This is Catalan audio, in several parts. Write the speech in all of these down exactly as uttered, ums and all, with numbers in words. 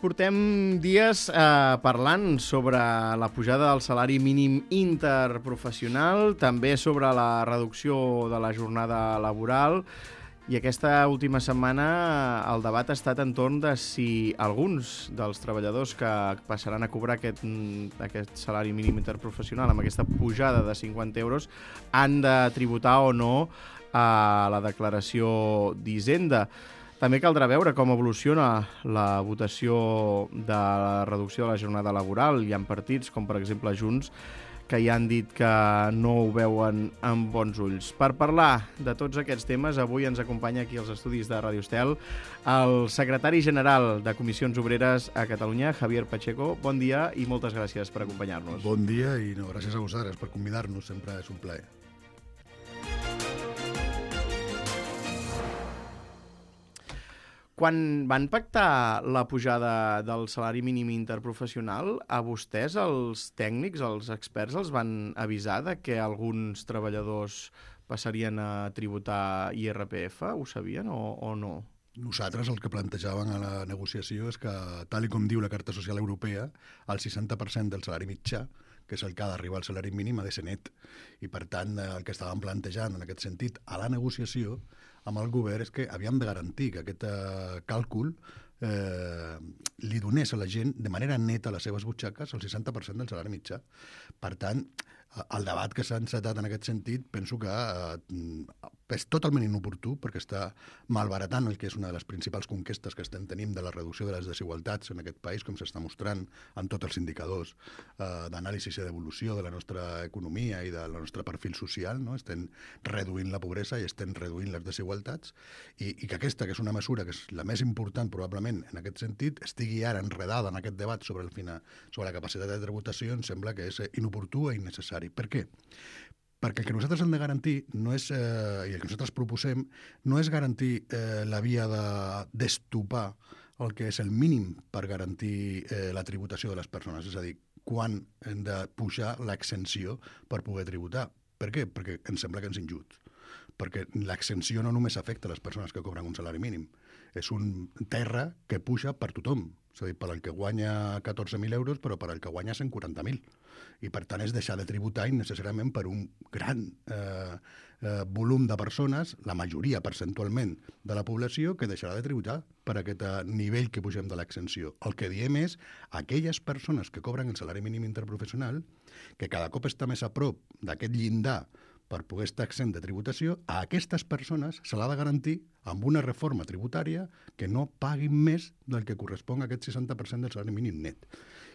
Portem dies eh, parlant sobre la pujada del salari mínim interprofessional, també sobre la reducció de la jornada laboral, i aquesta última setmana el debat ha estat entorn de si alguns dels treballadors que passaran a cobrar aquest, aquest salari mínim interprofessional amb aquesta pujada de cinquanta euros han de tributar o no a la declaració d'Hisenda. També caldrà veure com evoluciona la votació de la reducció de la jornada laboral. Hi ha partits, com per exemple Junts, que ja han dit que no ho veuen amb bons ulls. Per parlar de tots aquests temes, avui ens acompanya aquí als estudis de Ràdio Estel el secretari general de Comissions Obreres a Catalunya, Javier Pacheco. Bon dia i moltes gràcies per acompanyar-nos. Bon dia i no, gràcies a vosaltres per convidar-nos, sempre és un plaer. Quan van pactar la pujada del salari mínim interprofessional, a vostès, els tècnics, els experts, els van avisar de que alguns treballadors passarien a tributar I R P F? Ho sabien o, o no? Nosaltres el que plantejàvem a la negociació és que, tal i com diu la Carta Social Europea, el seixanta per cent del salari mitjà, que és el que ha d'arribar al salari mínim, ha de ser net. I, per tant, el que estàvem plantejant en aquest sentit a la negociació amb el govern és que havíem de garantir que aquest eh, càlcul eh, li donés a la gent de manera neta a les seves butxaques el seixanta per cent del salari mitjà. Per tant, el debat que s'ha encetat en aquest sentit penso que eh, és totalment inoportú perquè està malbaratant el que és una de les principals conquestes que estem tenint de la reducció de les desigualtats en aquest país, com s'està mostrant en tots els indicadors eh, d'anàlisi i d'evolució de la nostra economia i del nostre perfil social, no? Estem reduint la pobresa i estem reduint les desigualtats i, i que aquesta, que és una mesura que és la més important probablement en aquest sentit, estigui ara enredada en aquest debat sobre, el final, sobre la capacitat de tributació, em sembla que és inoportú i innecessari. Per què? Perquè el que nosaltres hem de garantir no és, eh, i el que nosaltres proposem no és garantir eh, la via de d'estopar el que és el mínim per garantir eh, la tributació de les persones, és a dir, quan hem de pujar l'exenció per poder tributar. Per què? Perquè ens sembla que ens injust. Perquè l'exenció no només afecta les persones que cobren un salari mínim, és un terra que puja per tothom, és a dir, per al que guanya catorze mil euros, però per al que guanya cent quaranta mil. I, per tant, és deixar de tributar innecessàriament per un gran eh, eh, volum de persones, la majoria percentualment de la població, que deixarà de tributar per aquest eh, nivell que pugem de l'exenció. El que diem és aquelles persones que cobren el salari mínim interprofessional, que cada cop està més a prop d'aquest llindar per poder estar exempt de tributació, a aquestes persones se l'ha de garantir amb una reforma tributària que no paguin més del que correspon a aquest seixanta per cent del salari mínim net.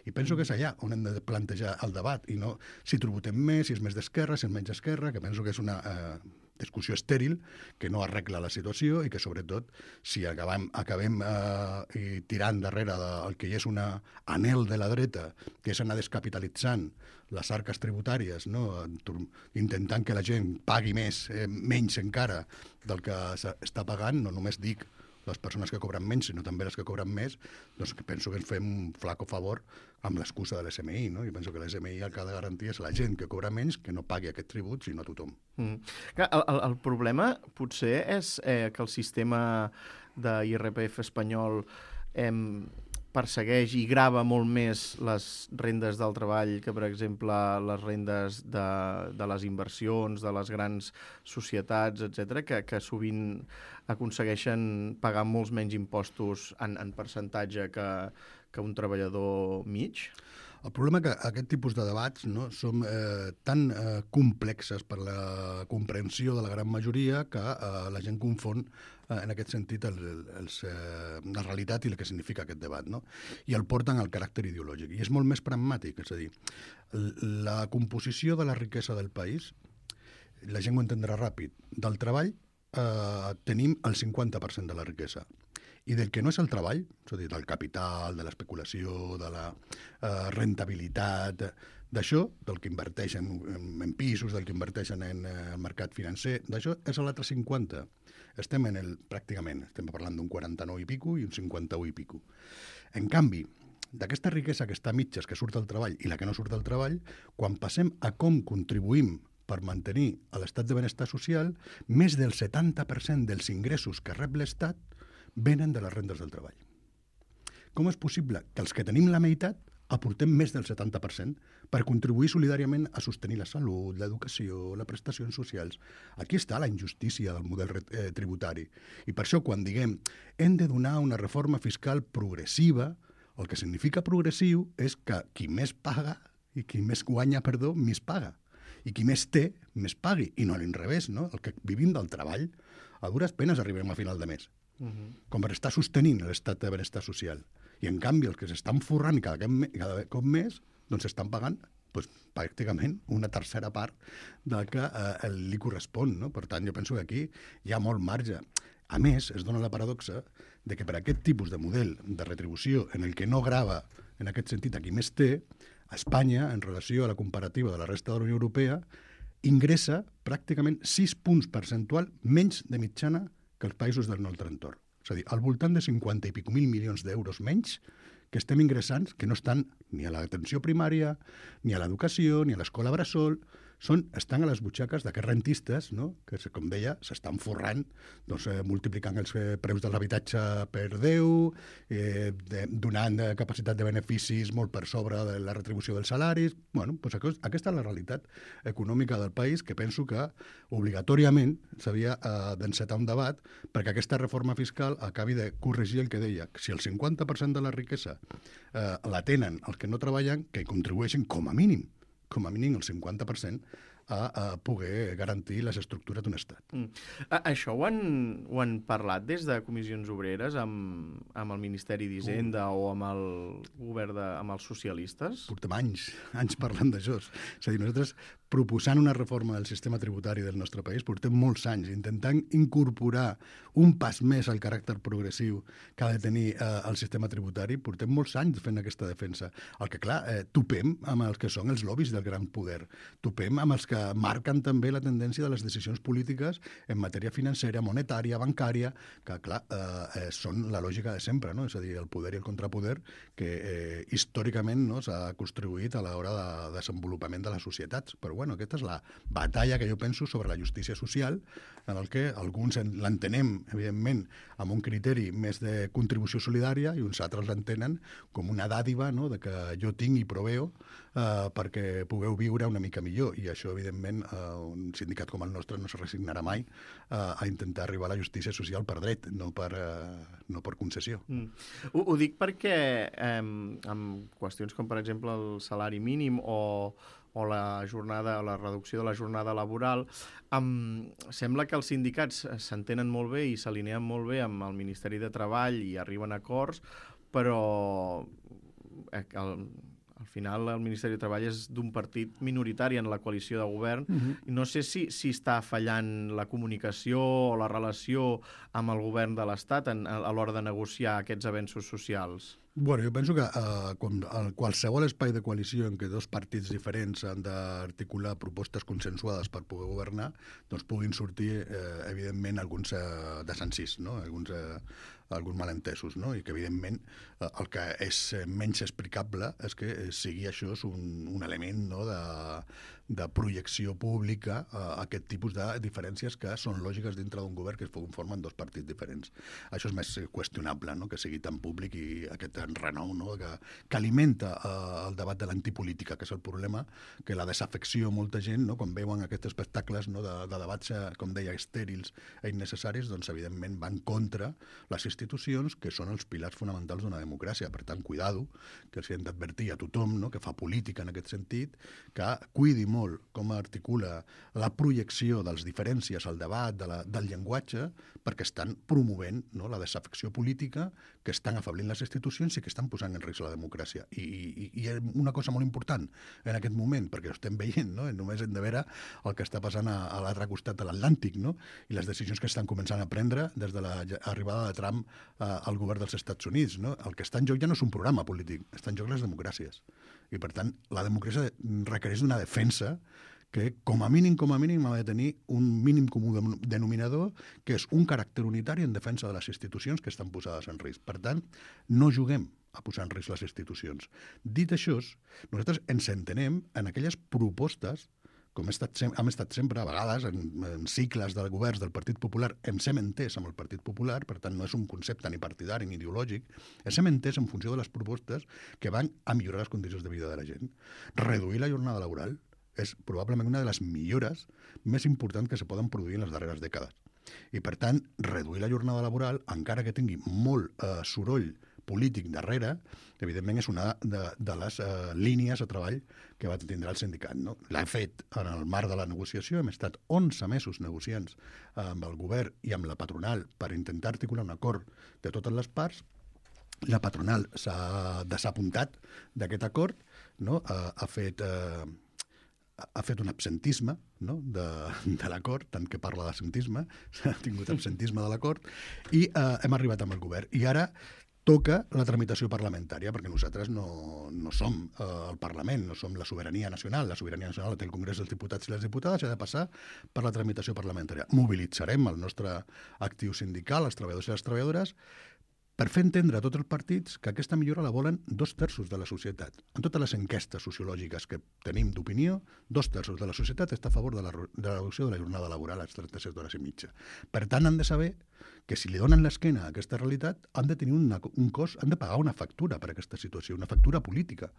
I penso que és allà on hem de plantejar el debat, i no si tributem més, si és més d'esquerra, si és menys d'esquerra, que penso que és una eh, discussió estèril, que no arregla la situació i que, sobretot, si acabem, acabem eh, tirant darrere del que és un anhel de la dreta, que és anar descapitalitzant les arques tributàries, no? Intentant que la gent pagui més, eh, menys encara del que està pagant, no només dic les persones que cobren menys, sinó també les que cobren més, doncs penso que ens fem un flaco favor amb l'excusa de l'S M I, no? I penso que l'S M I el que ha de garantir és la gent que cobra menys que no pagui aquest tribut, sinó a tothom. Mm. El, el, el problema potser és eh, que el sistema de I R P F espanyol eh, persegueix i grava molt més les rendes del treball que, per exemple, les rendes de, de les inversions, de les grans societats, etcètera, que, que sovint aconsegueixen pagar molts menys impostos en, en percentatge que, que un treballador mig? El problema és que aquest tipus de debats no, són eh, tan eh, complexes per la comprensió de la gran majoria que eh, la gent confon eh, en aquest sentit el, el, els, eh, la realitat i el que significa aquest debat, no? I el porten al caràcter ideològic. I és molt més pragmàtic, és a dir, la composició de la riquesa del país, la gent ho entendrà ràpid, del treball eh, tenim el cinquanta per cent de la riquesa. I del que no és el treball, és a dir, del capital, de l'especulació, de la eh, rentabilitat, d'això, del que inverteixen en, en pisos, del que inverteixen en eh, el mercat financer, d'això és l'altre cinquanta. Estem en el, pràcticament, estem parlant d'un quaranta-nou i pico i un cinquanta-u i pico. En canvi, d'aquesta riquesa que està a mitges, que surt del treball, i la que no surt del treball, quan passem a com contribuïm per mantenir l'estat de benestar social, més del setanta per cent dels ingressos que rep l'Estat venen de les rendes del treball. Com és possible que els que tenim la meitat aportem més del setanta per cent per contribuir solidàriament a sostenir la salut, l'educació, les prestacions socials? Aquí està la injustícia del model eh, tributari. I per això, quan diguem hem de donar una reforma fiscal progressiva, el que significa progressiu és que qui més paga i qui més guanya, perdó, més paga. I qui més té, més pagui. I no a l'inrevés, no? El que vivim del treball, a dures penes arribem a final de mes. Uh-huh. Com per estar sostenint l'estat de benestar social. I en canvi els que s'estan forrant cada, cada cop més, doncs estan pagant doncs, pràcticament una tercera part del que eh, li correspon. No? Per tant, jo penso que aquí hi ha molt marge. A més, es dona la paradoxa de que per aquest tipus de model de retribució en el que no grava, en aquest sentit, a qui més té, Espanya, en relació a la comparativa de la resta de la Unió Europea, ingressa pràcticament sis punts percentual menys de mitjana que els països del nostre entorn. És a dir, al voltant de cinquanta i pico mil milions d'euros menys que estem ingressant, que no estan ni a l'atenció primària, ni a l'educació, ni a l'escola bressol, són, estan a les butxaques d'aquests rentistes, no? Que, com deia, s'estan forrant, doncs, eh, multiplicant els eh, preus de l'habitatge per deu, eh, de, donant eh, capacitat de beneficis molt per sobre de la retribució dels salaris. Bueno, doncs aquest, aquesta és la realitat econòmica del país, que penso que obligatòriament s'havia eh, d'encetar un debat perquè aquesta reforma fiscal acabi de corregir el que deia. Si el cinquanta per cent de la riquesa eh, la tenen els que no treballen, que contribueixen com a mínim com a mínim el cinquanta per cent a, a poder garantir les estructures d'un estat. Mm. Això ho han, ho han parlat des de comissions obreres amb, amb el Ministeri d'Hisenda uh. o amb el govern de, amb els socialistes? Portem anys, anys parlant d'això. És a dir, nosaltres proposant una reforma del sistema tributari del nostre país, portem molts anys intentant incorporar un pas més al caràcter progressiu que ha de tenir eh, el sistema tributari, portem molts anys fent aquesta defensa. El que, clar, eh, topem amb els que són els lobbies del gran poder, topem amb els que marquen també la tendència de les decisions polítiques en matèria financera, monetària, bancària, que, clar, eh, són la lògica de sempre, no? És a dir, el poder i el contrapoder que eh, històricament no, s'ha construït a l'hora de desenvolupament de les societats. Però bueno, aquesta és la batalla que jo penso sobre la justícia social, en el que alguns l'entenem, evidentment, amb un criteri més de contribució solidària i uns altres l'entenen com una dàdiva, no?, de que jo tinc i proveo eh, perquè pugueu viure una mica millor. I això, evidentment, eh, un sindicat com el nostre no se resignarà mai eh, a intentar arribar a la justícia social per dret, no per, eh, no per concessió. Mm. Ho, ho dic perquè eh, amb qüestions com, per exemple, el salari mínim o o la jornada, o la reducció de la jornada laboral, um, sembla que els sindicats s'entenen molt bé i s'alineen molt bé amb el Ministeri de Treball i arriben a acords, però el, al final el Ministeri de Treball és d'un partit minoritari en la coalició de govern. Uh-huh. No sé si, si està fallant la comunicació o la relació amb el govern de l'Estat a, a l'hora de negociar aquests avenços socials. Bueno, jo penso que eh, com, en qualsevol espai de coalició en què dos partits diferents han d'articular propostes consensuades per poder governar, doncs puguin sortir, eh, evidentment, alguns eh, desencís, no? alguns, eh, alguns malentesos, no? I que, evidentment, eh, el que és menys explicable és que sigui això un, un element, no?, de, de projecció pública a eh, aquest tipus de diferències que són lògiques dintre d'un govern que es conformen dos partits diferents. Això és més qüestionable, no?, que sigui tan públic i aquest renou, no?, que, que alimenta eh, el debat de l'antipolítica, que és el problema, que la desafecció molta gent, no?, quan veuen aquests espectacles, no?, de, de debats, com deia, estèrils i innecessaris, doncs evidentment van contra les institucions que són els pilars fonamentals d'una democràcia. Per tant, cuidado, que els hem d'advertir a tothom, no?, que fa política en aquest sentit, que cuidi molt com articula la projecció de les diferències al debat, de la, del llenguatge, perquè estan promovent, no?, la desafecció política, que estan afablint les institucions i que estan posant en risc la democràcia. I, i, i una cosa molt important en aquest moment, perquè ho estem veient, no?, només hem de veure el que està passant a, a l'altre costat de l'Atlàntic, no?, i les decisions que estan començant a prendre des de l'arribada de Trump eh, al govern dels Estats Units, no? El que està en joc ja no és un programa polític, està en joc les democràcies. I, per tant, la democràcia requereix d'una defensa que, com a mínim, com a mínim, ha de tenir un mínim comú denominador, que és un caràcter unitari en defensa de les institucions que estan posades en risc. Per tant, no juguem a posar en risc les institucions. Dit això, nosaltres ens entenem en aquelles propostes com hem estat, sem hem estat sempre, a vegades, en, en cicles de governs del Partit Popular, ens hem entès amb el Partit Popular, per tant no és un concepte ni partidari ni ideològic, ens hem entès en funció de les propostes que van a millorar les condicions de vida de la gent. Reduir la jornada laboral és probablement una de les millores més importants que se poden produir en les darreres dècades. I, per tant, reduir la jornada laboral, encara que tingui molt eh, soroll polític darrere, evidentment és una de, de les eh, línies de treball que va tindre el sindicat. No? L'ha fet en el marc de la negociació, hem estat onze mesos negociants eh, amb el govern i amb la patronal per intentar articular un acord de totes les parts. La patronal s'ha desapuntat d'aquest acord, no? eh, ha fet... Eh, ha fet un absentisme, no? de, de l'acord, tant que parla d'absentisme, s'ha tingut absentisme de l'acord, i eh, hem arribat amb el govern. I ara toca la tramitació parlamentària, perquè nosaltres no, no som eh, el Parlament, no som la sobirania nacional. La sobirania nacional la té el Congrés dels Diputats i les Diputades, i ha de passar per la tramitació parlamentària. Mobilitzarem el nostre actiu sindical, els treballadors i les treballadores, per fer entendre a tots els partits que aquesta millora la volen dos terços de la societat. En totes les enquestes sociològiques que tenim d'opinió, dos terços de la societat està a favor de la, de la reducció de la jornada laboral a les trenta-set hores i mitja. Per tant, han de saber que si li donen l'esquena a aquesta realitat, han de tenir una, un cost, han de pagar una factura per aquesta situació, una factura política.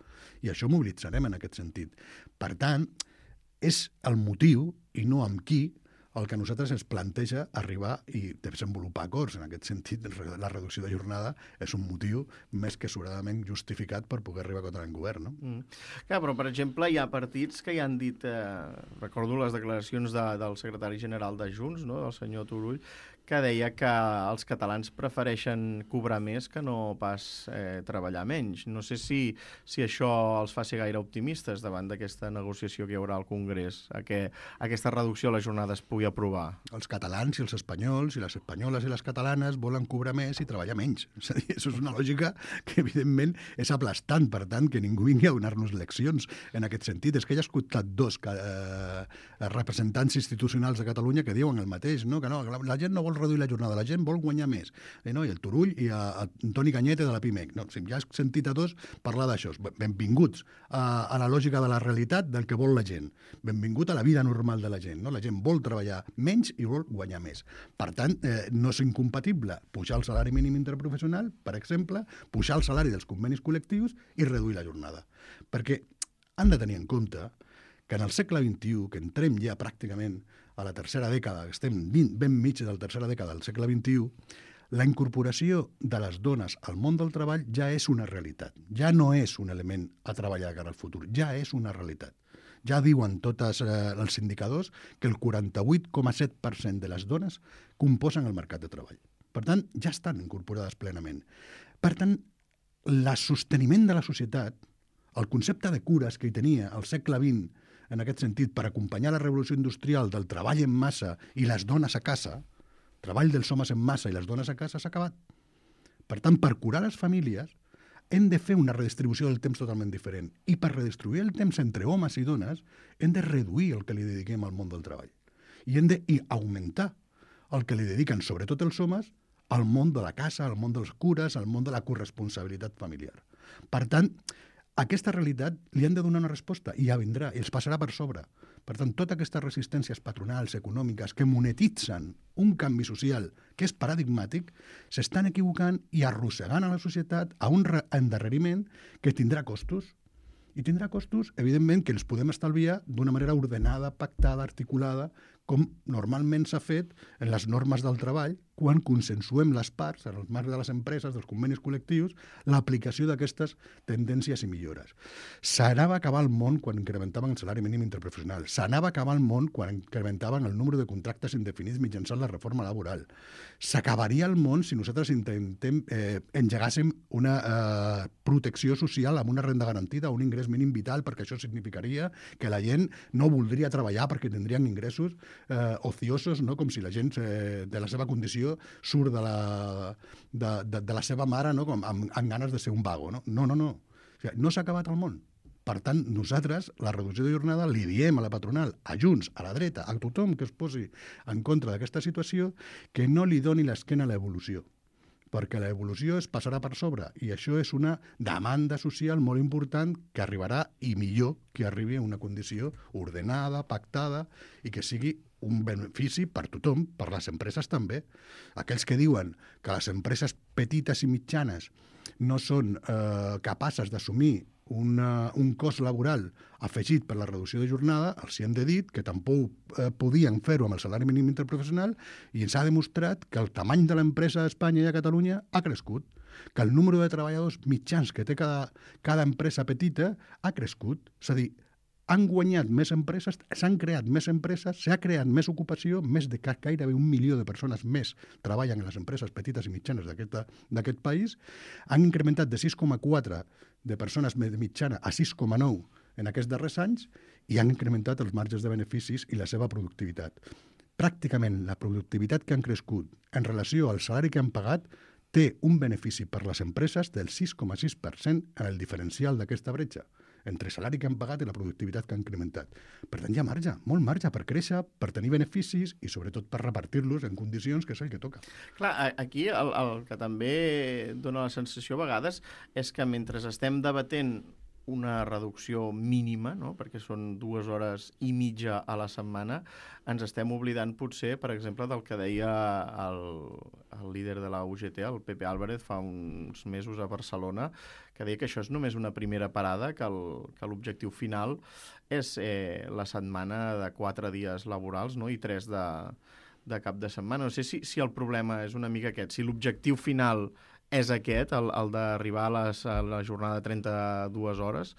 I això mobilitzarem en aquest sentit. Per tant, és el motiu, i no amb qui, el que a nosaltres ens planteja arribar i desenvolupar acords. En aquest sentit, la reducció de jornada és un motiu més que sobradament justificat per poder arribar a contra el govern. No? Mm. Clar, però, per exemple, hi ha partits que ja han dit, eh, recordo les declaracions de, del secretari general de Junts, no? del senyor Turull, que deia que els catalans prefereixen cobrar més que no pas eh, treballar menys. No sé si, si això els fa ser gaire optimistes davant d'aquesta negociació que hi haurà al Congrés, a que aquesta reducció de la jornada es pugui aprovar. Els catalans i els espanyols i les espanyoles i les catalanes volen cobrar més i treballar menys. És a dir, això és una lògica que, evidentment, és aplastant. Per tant, que ningú vingui a donar-nos leccions en aquest sentit. És que hi ha escoltat dos eh, representants institucionals de Catalunya que diuen el mateix, no? Que no, la gent no vol reduir la jornada, la gent vol guanyar més. Eh, no? I el Turull i a, a Toni Cañete de la PIMEC. No? Si ja has sentit a tots parlar d'això. Benvinguts a, a la lògica de la realitat del que vol la gent. Benvingut a la vida normal de la gent. No? La gent vol treballar menys i vol guanyar més. Per tant, eh, no és incompatible pujar el salari mínim interprofessional, per exemple, pujar el salari dels convenis col·lectius i reduir la jornada. Perquè han de tenir en compte que en el segle vint-i-u, que entrem ja pràcticament a la tercera dècada, que estem ben mig de la tercera dècada del segle vint-i-u, la incorporació de les dones al món del treball ja és una realitat. Ja no és un element a treballar cara al futur, ja és una realitat. Ja diuen tots eh, els indicadors que el quaranta-vuit coma set per cent de les dones composen el mercat de treball. Per tant, ja estan incorporades plenament. Per tant, el sosteniment de la societat, el concepte de cures que hi tenia al segle vint, en aquest sentit, per acompanyar la revolució industrial del treball en massa i les dones a casa, treball dels homes en massa i les dones a casa, s'ha acabat. Per tant, per curar les famílies, hem de fer una redistribució del temps totalment diferent. I per redistribuir el temps entre homes i dones, hem de reduir el que li dediquem al món del treball. I hem d'augmentar el que li dediquen, sobretot els homes, al món de la casa, al món de les cures, al món de la corresponsabilitat familiar. Per tant, aquesta realitat li han de donar una resposta i ja vindrà, i els passarà per sobre. Per tant, totes aquestes resistències patronals, econòmiques, que monetitzen un canvi social que és paradigmàtic, s'estan equivocant i arrossegant a la societat a un endarreriment que tindrà costos. I tindrà costos, evidentment, que els podem estalviar d'una manera ordenada, pactada, articulada, com normalment s'ha fet en les normes del treball, quan consensuem les parts, en els marcs de les empreses, dels convenis col·lectius, l'aplicació d'aquestes tendències i millores. S'anava a acabar el món quan incrementaven el salari mínim interprofessional. S'anava a acabar el món quan incrementaven el número de contractes indefinits mitjançant la reforma laboral. S'acabaria el món si nosaltres intentem eh, engegàssim una eh, protecció social amb una renda garantida o un ingrés mínim vital, perquè això significaria que la gent no voldria treballar perquè tindrien ingressos eh, ociosos, no? Com si la gent eh, de la seva condició surt de la, de, de, de la seva mare, no? Com amb, amb ganes de ser un vago. No, no, no. No, o sigui, no s'ha acabat el món. Per tant, nosaltres, la reducció de jornada, li diem a la patronal, a Junts, a la dreta, a tothom que es posi en contra d'aquesta situació, que no li doni l'esquena a l'evolució. perquè l'evolució es passarà per sobre i això és una demanda social molt important que arribarà i millor que arribi a una condició ordenada, pactada i que sigui un benefici per tothom, per les empreses també. Aquells que diuen que les empreses petites i mitjanes no són eh, capaces d'assumir Una, un cost laboral afegit per la reducció de jornada, els hi hem de dir que tampoc eh, podien fer-ho amb el salari mínim interprofessional i ens ha demostrat que el tamany de l'empresa a Espanya i a Catalunya ha crescut, que el número de treballadors mitjans que té cada, cada empresa petita ha crescut. És a dir, han guanyat més empreses, s'han creat més empreses, s'ha creat més ocupació, més de gairebé un milió de persones més treballen en les empreses petites i mitjanes d'aquest país, han incrementat de sis coma quatre de persones de mitjana a sis coma nou en aquests darrers anys i han incrementat els marges de beneficis i la seva productivitat. Pràcticament la productivitat que han crescut en relació al salari que han pagat té un benefici per les empreses del sis coma sis per cent en el diferencial d'aquesta bretxa entre salari que han pagat i la productivitat que han incrementat. Per tant, hi ha marge, molt marge per créixer, per tenir beneficis i, sobretot, per repartir-los en condicions que és el que toca. Clar, aquí el, el que també dona la sensació a vegades és que mentre estem debatent una reducció mínima, no? Perquè són dues hores i mitja a la setmana, ens estem oblidant potser, per exemple, del que deia el, el líder de la U G T, el Pepe Álvarez, fa uns mesos a Barcelona, que deia que això és només una primera parada, que l'objectiu final és eh, la setmana de quatre dies laborals, no? I tres de, de cap de setmana. No sé si, si el problema és una mica aquest, si l'objectiu final és aquest, el, el d'arribar a, les, a la jornada de trenta-dues hores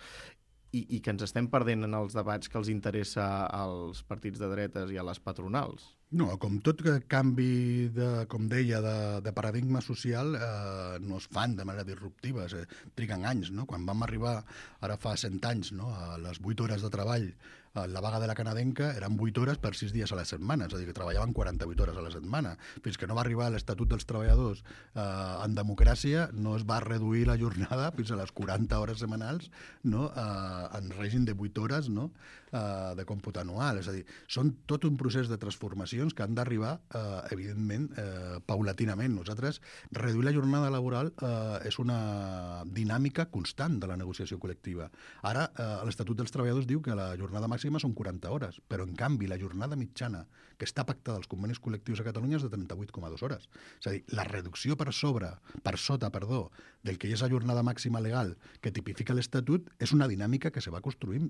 i, i que ens estem perdent en els debats que els interessa als partits de dretes i a les patronals. No, com tot canvi, de, com deia, de, de paradigma social, eh, no es fan de manera disruptiva, eh, triguen anys, no? Quan vam arribar, ara fa cent anys, no? A les vuit hores de treball, la vaga de la canadenca eren vuit hores per sis dies a la setmana, és a dir, que treballaven quaranta-vuit hores a la setmana. Fins que no va arribar l'Estatut dels Treballadors eh, en democràcia, no es va reduir la jornada fins a les quaranta hores setmanals, no? eh, en règim de vuit hores, no? eh, de còmput anual. És a dir, són tot un procés de transformacions que han d'arribar, eh, evidentment, eh, paulatinament. Nosaltres, reduir la jornada laboral eh, és una dinàmica constant de la negociació col·lectiva. Ara, eh, l'Estatut dels Treballadors diu que la jornada màxima són quaranta hores, però en canvi la jornada mitjana que està pactada als convenis col·lectius a Catalunya és de trenta-vuit coma dues hores. És a dir, la reducció per sobre, per sota, perdó, del que és la jornada màxima legal que tipifica l'Estatut és una dinàmica que se va construint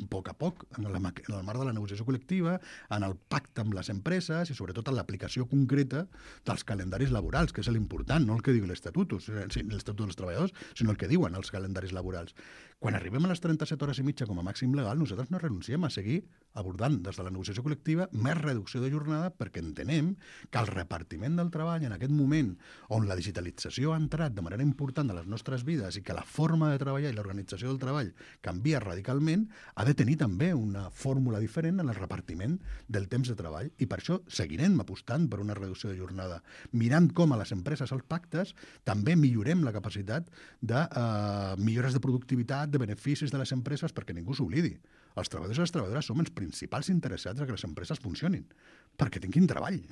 a poc a poc, en el, en el marc de la negociació col·lectiva, en el pacte amb les empreses i sobretot en l'aplicació concreta dels calendaris laborals, que és l'important, no el que diu l'Estatut, l'Estatut dels Treballadors, sinó el que diuen els calendaris laborals. Quan arribem a les trenta-set hores i mitja com a màxim legal, nosaltres no renunciem a seguir abordant des de la negociació col·lectiva més reducció de jornada perquè entenem que el repartiment del treball en aquest moment on la digitalització ha entrat de manera important a les nostres vides i que la forma de treballar i l'organització del treball canvia radicalment, ha de tenir també una fórmula diferent en el repartiment del temps de treball i per això seguirem apostant per una reducció de jornada. Mirant com a les empreses als pactes també millorem la capacitat de eh, millores de productivitat, de beneficis de les empreses, perquè ningú s'oblidi. Els treballadors i les treballadores som els principals interessats en que les empreses funcionin, perquè tinguin treball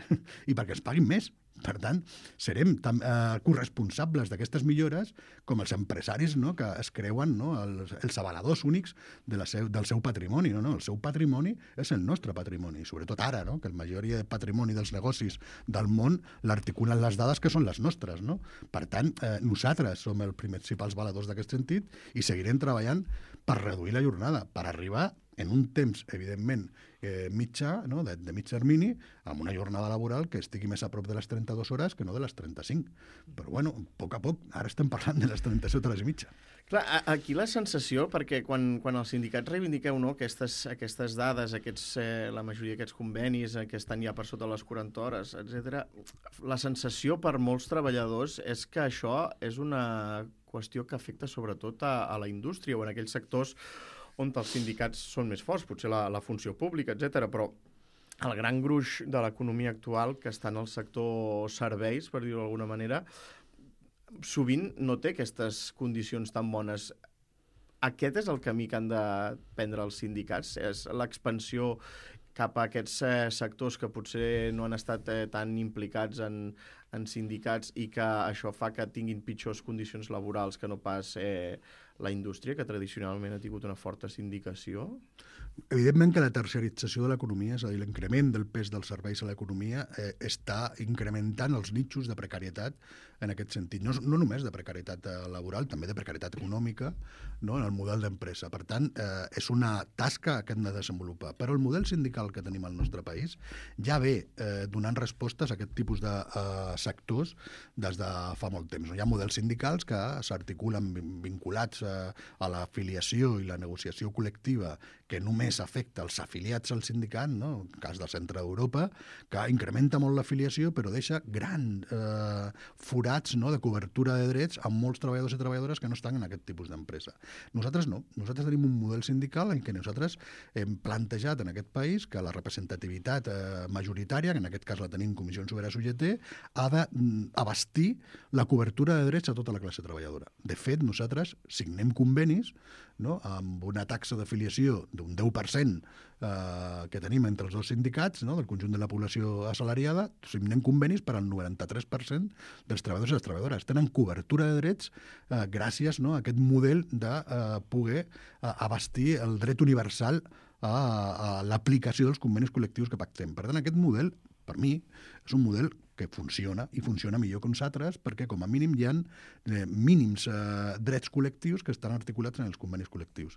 i perquè es paguin més. Per tant, serem tan, eh, corresponsables d'aquestes millores com els empresaris, no?, que es creuen, no?, els, els avaladors únics de la seu, del seu patrimoni. No, no, el seu patrimoni és el nostre patrimoni, sobretot ara, no?, que la majoria de patrimoni dels negocis del món l'articulen les dades que són les nostres. No? Per tant, eh, nosaltres som els principals valedors d'aquest sentit i seguirem treballant per reduir la jornada, per arribar en un temps, evidentment, eh, mitjà, no? de, de mig termini, amb una jornada laboral que estigui més a prop de les trenta-dues hores que no de les trenta-cinc. Però, bueno, a poc a poc, ara estem parlant de les trenta-set hores i mitja. Clar, aquí la sensació, perquè quan, quan els sindicats reivindiqueu, no, aquestes, aquestes dades, aquests, eh, la majoria d'aquests convenis eh, que estan ja per sota les quaranta hores, etcètera, la sensació per molts treballadors és que això és una qüestió que afecta sobretot a, a la indústria o en aquells sectors on els sindicats són més forts, potser la, la funció pública, etcètera, però el gran gruix de l'economia actual, que està en el sector serveis, per dir-ho d'alguna manera, sovint no té aquestes condicions tan bones. Aquest és el camí que han de prendre els sindicats? És l'expansió cap a aquests eh, sectors que potser no han estat eh, tan implicats en, en sindicats i que això fa que tinguin pitjors condicions laborals que no pas eh, la indústria, que tradicionalment ha tingut una forta sindicació? Evidentment que la terciarització de l'economia, és a dir, l'increment del pes dels serveis a l'economia, eh, està incrementant els nichos de precarietat en aquest sentit. No, no només de precarietat laboral, també de precarietat econòmica, no?, en el model d'empresa. Per tant, eh, és una tasca que hem de desenvolupar. Però el model sindical que tenim al nostre país ja ve eh, donant respostes a aquest tipus de eh, sectors des de fa molt temps. Hi ha models sindicals que s'articulen vinculats a, a l'afiliació i la negociació col·lectiva que només afecta els afiliats al sindicat, no?, en el cas del centre d'Europa, que incrementa molt l'afiliació però deixa gran eh, forats, no?, de cobertura de drets amb molts treballadors i treballadores que no estan en aquest tipus d'empresa. Nosaltres no. Nosaltres tenim un model sindical en què nosaltres hem plantejat en aquest país que la representativitat eh, majoritària, que en aquest cas la tenim Comissions Obreres U G T, ha d'abastir la cobertura de drets a tota la classe treballadora. De fet, nosaltres signem convenis, no?, amb una taxa d'afiliació d'un deu per cent eh, que tenim entre els dos sindicats, no?, del conjunt de la població assalariada, signem convenis per al noranta-tres per cent dels treballadors i les treballadores. Tenen cobertura de drets eh, gràcies, no?, a aquest model de eh, poder eh, abastir el dret universal a, a l'aplicació dels convenis col·lectius que pactem. Per tant, aquest model, per mi, és un model que funciona, i funciona millor que uns altres, perquè com a mínim hi ha eh, mínims eh, drets col·lectius que estan articulats en els convenis col·lectius.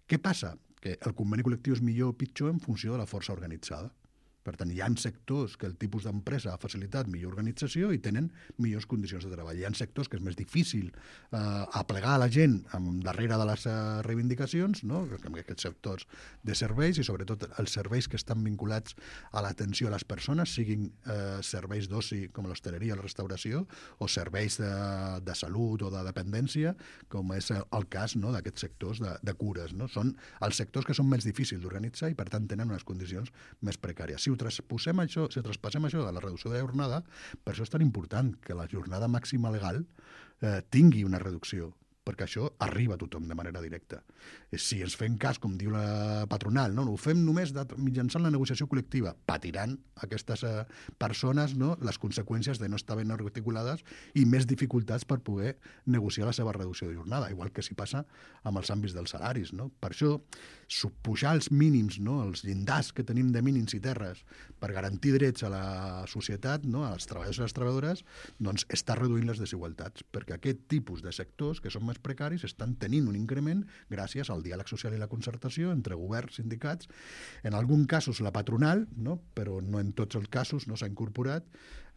Què passa? Que el conveni col·lectiu és millor o pitjor en funció de la força organitzada. Per tant, hi ha sectors que el tipus d'empresa ha facilitat millor organització i tenen millors condicions de treball. Hi ha sectors que és més difícil eh, aplegar a la gent amb darrere de les eh, reivindicacions, no?, aquests sectors de serveis i sobretot els serveis que estan vinculats a l'atenció a les persones, siguin eh, serveis d'oci com l'hostaleria, la restauració, o serveis de, de salut o de dependència, com és el cas, no?, d'aquests sectors de, de cures. No? Són els sectors que són més difícils d'organitzar i per tant tenen unes condicions més precàries. Si ho trasposem això, si traspassem això de la reducció de la jornada, per això és tan important que la jornada màxima legal eh, tingui una reducció, perquè això arriba a tothom de manera directa. Si ens fem cas, com diu la patronal, no, no ho fem només de, mitjançant la negociació col·lectiva, patiran aquestes eh, persones, no?, les conseqüències de no estar ben articulades i més dificultats per poder negociar la seva reducció de jornada, igual que s'hi passa amb els àmbits dels salaris. No? Per això, pujar els mínims, no?, els llindars que tenim de mínims i terres per garantir drets a la societat, no?, als treballadors i les treballadores, doncs està reduint les desigualtats, perquè aquest tipus de sectors que són més precaris estan tenint un increment gràcies al diàleg social i la concertació entre governs, sindicats, en alguns casos la patronal, no?, però no en tots els casos no s'ha incorporat,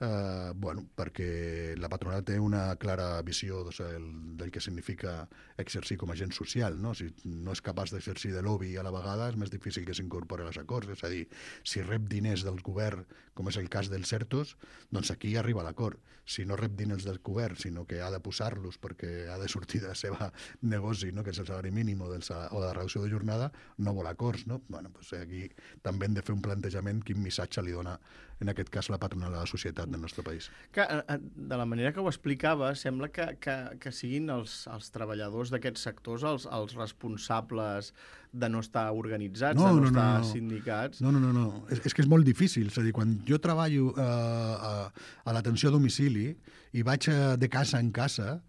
eh, bueno, perquè la patronal té una clara visió doncs, el, del que significa exercir com a agent social. No? Si no és capaç d'exercir de lobby a la vegada, és més difícil que s'incorpori als acords. És a dir, si rep diners del govern, com és el cas dels CERTOs, doncs aquí arriba l'acord. Si no rep diners del govern, sinó que ha de posar-los perquè ha de sortir de la seva negoci, no? que és el salari mínim o, del sal... o de la reducció de jornada, no vol acords. No? Bueno, doncs aquí també hem de fer un plantejament quin missatge li dona, en aquest cas, la patronal a la societat del nostre país. Que, de la manera que ho explicava, sembla que, que, que siguin els, els treballadors d'aquests sectors els, els responsables de no estar organitzats, no, de no, no estar no, no. sindicats. No, no, no. no. És, és que és molt difícil. És a dir, quan jo treballo eh, a, a l'atenció a domicili i vaig de casa en casa,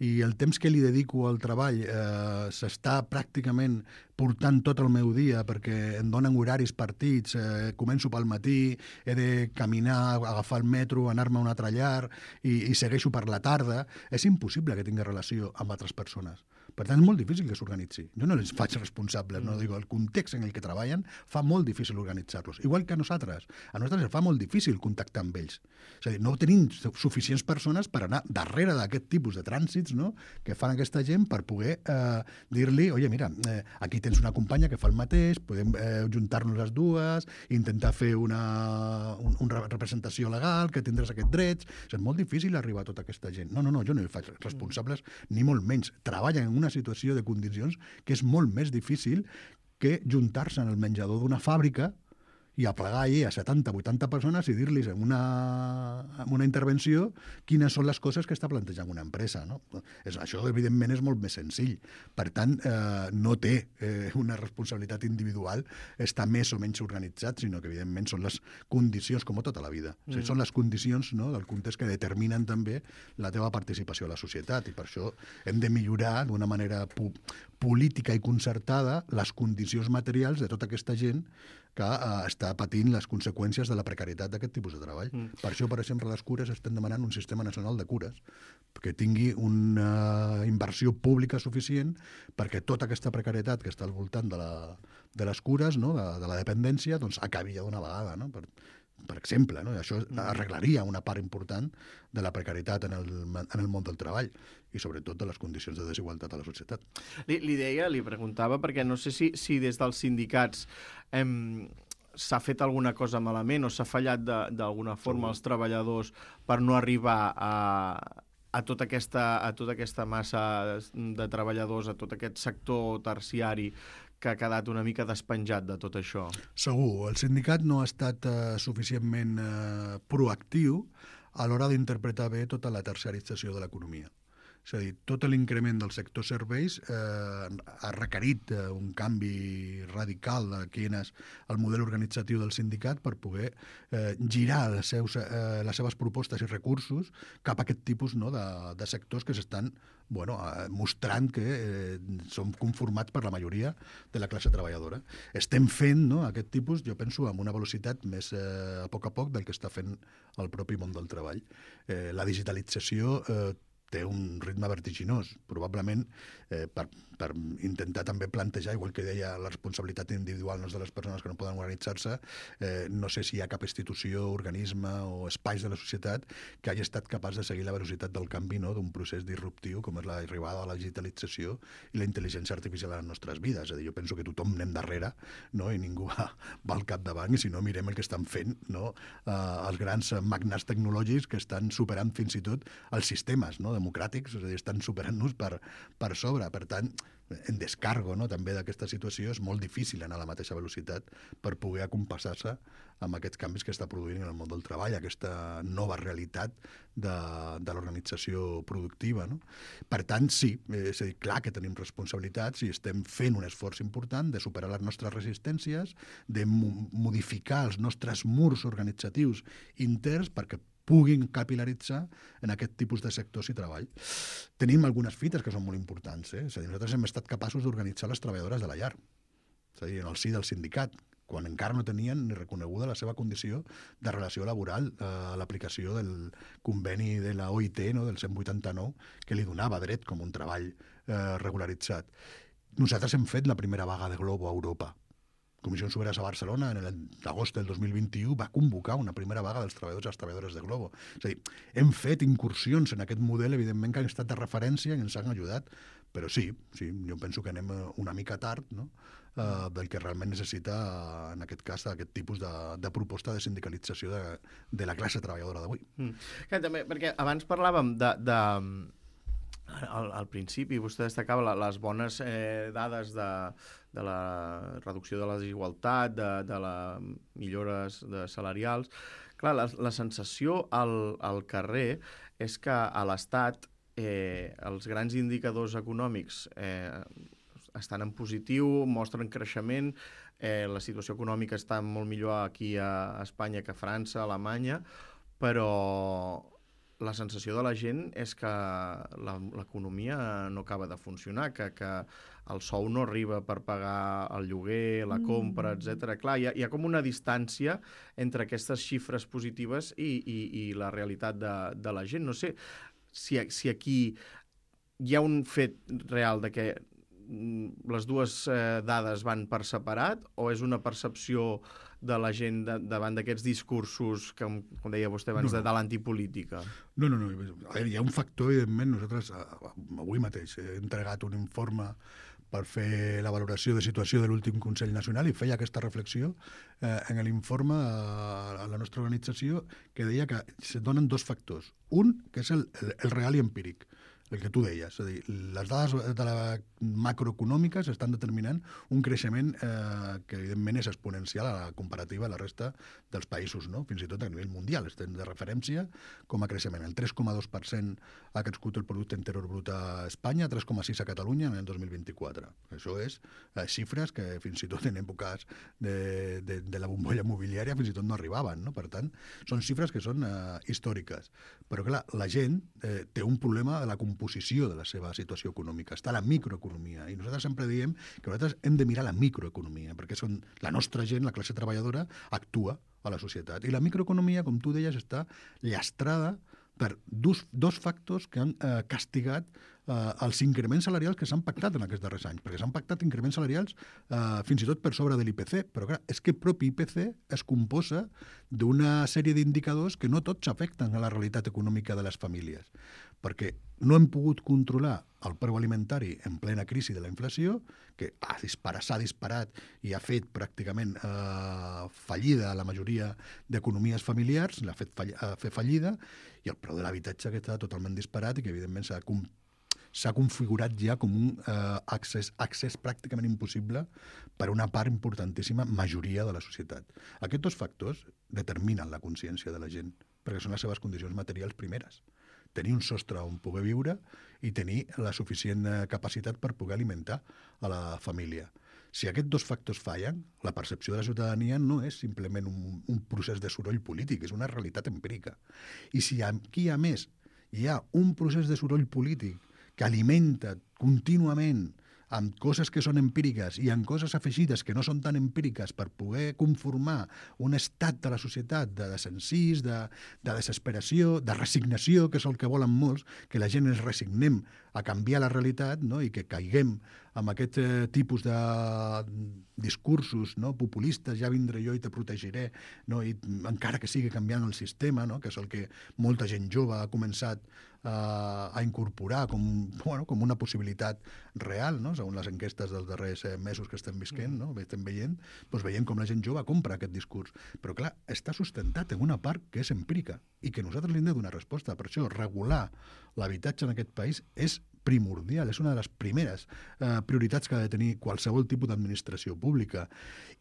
i el temps que li dedico al treball eh, s'està pràcticament portant tot el meu dia perquè em donen horaris partits, eh, començo pel matí, he de caminar, agafar el metro, anar-me a un altre llar i, i segueixo per la tarda, és impossible que tingui relació amb altres persones. Per tant, és molt difícil que s'organitzi. Jo no els faig responsables, no digo, el context en el que treballen fa molt difícil organitzar-los. Igual que a nosaltres. A nosaltres ens fa molt difícil contactar amb ells. És a dir, no tenim suficients persones per anar darrere d'aquest tipus de trànsits, no?, que fan aquesta gent per poder eh, dir-li, oye, mira, eh, aquí tens una companya que fa el mateix, podem eh, juntar-nos les dues, intentar fer una, un, una representació legal, que tindràs aquests drets. És molt difícil arribar a tota aquesta gent. No, no, no, jo no hi faig responsables, ni molt menys. Treballen en una situació de condicions que és molt més difícil que juntar-se en el menjador d'una fàbrica i aplegar allí a setanta o vuitanta persones i dir-los en una, en una intervenció quines són les coses que està plantejant una empresa. No? És, això, evidentment, és molt més senzill. Per tant, eh, no té eh, una responsabilitat individual estar més o menys organitzat, sinó que, evidentment, són les condicions, com tota la vida. Mm. O sigui, són les condicions, no?, del context que determinen també la teva participació a la societat, i per això hem de millorar d'una manera po política i concertada les condicions materials de tota aquesta gent que eh, està patint les conseqüències de la precarietat d'aquest tipus de treball. Mm. Per això, per exemple, les cures estem demanant un sistema nacional de cures que tingui una inversió pública suficient perquè tota aquesta precarietat que està al voltant de, la, de les cures, no?, de, de la dependència, doncs acabi ja d'una vegada, no?, per, per exemple, no? I això arreglaria una part important de la precarietat en el, en el món del treball i sobretot de les condicions de desigualtat a la societat. Li, li deia, li preguntava, perquè no sé si, si des dels sindicats em, s'ha fet alguna cosa malament o s'ha fallat d'alguna forma als treballadors per no arribar a, a, tota aquesta, a tota aquesta massa de treballadors, a tot aquest sector terciari que ha quedat una mica despenjat de tot això. Segur. El sindicat no ha estat eh, suficientment eh, proactiu a l'hora d'interpretar bé tota la terciarització de l'economia. És a dir, tot l'increment del sector serveis eh, ha requerit eh, un canvi radical de quin és el model organitzatiu del sindicat per poder eh, girar les, seus, eh, les seves propostes i recursos cap a aquest tipus, no?, de, de sectors que s'estan bueno, eh, mostrant que eh, són conformats per la majoria de la classe treballadora. Estem fent, no?, aquest tipus, jo penso, amb una velocitat més eh, a poc a poc del que està fent el propi món del treball. Eh, la digitalització eh, té un ritme vertiginós, probablement eh, per, per intentar també plantejar, igual que deia, la responsabilitat individual no és de les persones que no poden organitzar-se, eh, no sé si hi ha cap institució, organisme o espais de la societat que hagi estat capaç de seguir la velocitat del canvi, no?, d'un procés disruptiu com és l'arribada de la digitalització i la intel·ligència artificial a les nostres vides. És a dir, jo penso que tothom anem darrere, no?, i ningú va, va al capdavant, i si no mirem el que estan fent, no?, eh, els grans magnats tecnològics que estan superant fins i tot els sistemes, no?, democràtics, és a dir, estan superant-nos per, per sobre. Per tant, en descargo, no?, també d'aquesta situació és molt difícil anar a la mateixa velocitat per poder acompassar-se amb aquests canvis que està produint en el món del treball, aquesta nova realitat de, de l'organització productiva, no? Per tant, sí, és a dir, clar que tenim responsabilitats i estem fent un esforç important de superar les nostres resistències, de mo modificar els nostres murs organitzatius interns perquè puguin capilaritzar en aquest tipus de sectors i treball. Tenim algunes fites que són molt importants. Eh? És a dir, nosaltres hem estat capaços d'organitzar les treballadores de la llar, és a dir, en el si del sindicat, quan encara no tenien ni reconeguda la seva condició de relació laboral a eh, l'aplicació del conveni de la O I T, no?, del cent vuitanta-nou, que li donava dret com un treball eh, regularitzat. Nosaltres hem fet la primera vaga de Globo a Europa. Comissions Obreres a Barcelona, en l'agost del dos mil vint-i-u, va convocar una primera vaga dels treballadors i les treballadores de Globo. És a dir, hem fet incursions en aquest model, evidentment, que han estat de referència i ens han ajudat, però sí, sí, jo penso que anem una mica tard, no?, uh, del que realment necessita, uh, en aquest cas, aquest tipus de, de proposta de sindicalització de, de la classe treballadora d'avui. Mm. Que, també, perquè abans parlàvem de... de... Al, al principi vostè destacava la, les bones eh, dades de, de la reducció de la desigualtat, de, de les millores de salarials. Clar, la, la sensació al, al carrer és que a l'Estat eh, els grans indicadors econòmics eh, estan en positiu, mostren creixement, eh, la situació econòmica està molt millor aquí a Espanya que a França, a Alemanya, però la sensació de la gent és que l'economia no acaba de funcionar, que, que el sou no arriba per pagar el lloguer, la compra, etcètera. Clar, hi ha, hi ha com una distància entre aquestes xifres positives i, i, i la realitat de, de la gent. No sé si, si aquí hi ha un fet real de que les dues eh, dades van per separat o és una percepció de la gent de, davant d'aquests discursos que, com deia vostè abans, no, no. de, de l'antipolítica? No, no, no. A veure, hi ha un factor, evidentment, nosaltres avui mateix he entregat un informe per fer la valoració de situació de l'últim Consell Nacional i feia aquesta reflexió eh, en l'informe a, a la nostra organització que deia que se donen dos factors. Un, que és el, el, el real i empíric. el que tu deies, és a dir, les dades de la macroeconòmiques estan determinant un creixement eh, que evidentment és exponencial a la comparativa a la resta dels països, no? Fins i tot a nivell mundial, estem de referència com a creixement. El tres coma dos per cent ha crescut el producte interior brut a Espanya, tres coma sis a Catalunya en el dos mil vint-i-quatre. Això és eh, xifres que fins i tot en èpoques de, de, de la bombolla immobiliària fins i tot no arribaven, no? Per tant, són xifres que són eh, històriques. Però clar, la gent eh, té un problema de la composició de la seva situació econòmica. Està la microeconomia. I nosaltres sempre diem que nosaltres hem de mirar la microeconomia, perquè són, la nostra gent, la classe treballadora, actua a la societat. I la microeconomia, com tu deies, està llastrada per dos, dos factors que han eh, castigat eh, els increments salarials que s'han pactat en aquests darrers anys, perquè s'han pactat increments salarials eh, fins i tot per sobre de l'I P C, però clar, és que el propi I P C es composa d'una sèrie d'indicadors que no tots afecten a la realitat econòmica de les famílies, perquè no hem pogut controlar el preu alimentari en plena crisi de la inflació, que ha disparat, s'ha disparat i ha fet pràcticament eh, fallida a la majoria d'economies familiars, l'ha fet fall, eh, fer fallida, i el preu de l'habitatge que està totalment disparat i que evidentment s'ha s'ha configurat ja com un eh, accés, accés pràcticament impossible per una part importantíssima majoria de la societat. Aquests dos factors determinen la consciència de la gent, perquè són les seves condicions materials primeres. Tenir un sostre on poder viure i tenir la suficient capacitat per poder alimentar a la família. Si aquests dos factors fallen, la percepció de la ciutadania no és simplement un, un procés de soroll polític, és una realitat empírica. I si aquí, a més, hi ha un procés de soroll polític que alimenta contínuament amb coses que són empíriques i amb coses afegides que no són tan empíriques per poder conformar un estat de la societat de desencís, de, de desesperació, de resignació, que és el que volen molts, que la gent ens resignem a canviar la realitat, no? I que caiguem amb aquest eh, tipus de discursos, no? Populistes, ja vindré jo i te protegiré, no? I encara que sigui canviant el sistema, no? Que és el que molta gent jove ha començat eh, a incorporar com, bueno, com una possibilitat real, no? Segons les enquestes dels darrers eh, mesos que estem visquent, no? Estem veient, doncs veiem com la gent jove compra aquest discurs. Però clar, està sustentat en una part que és empírica i que nosaltres li hem de donar resposta. Per això, regular l'habitatge en aquest país és primordial, és una de les primeres eh, prioritats que ha de tenir qualsevol tipus d'administració pública,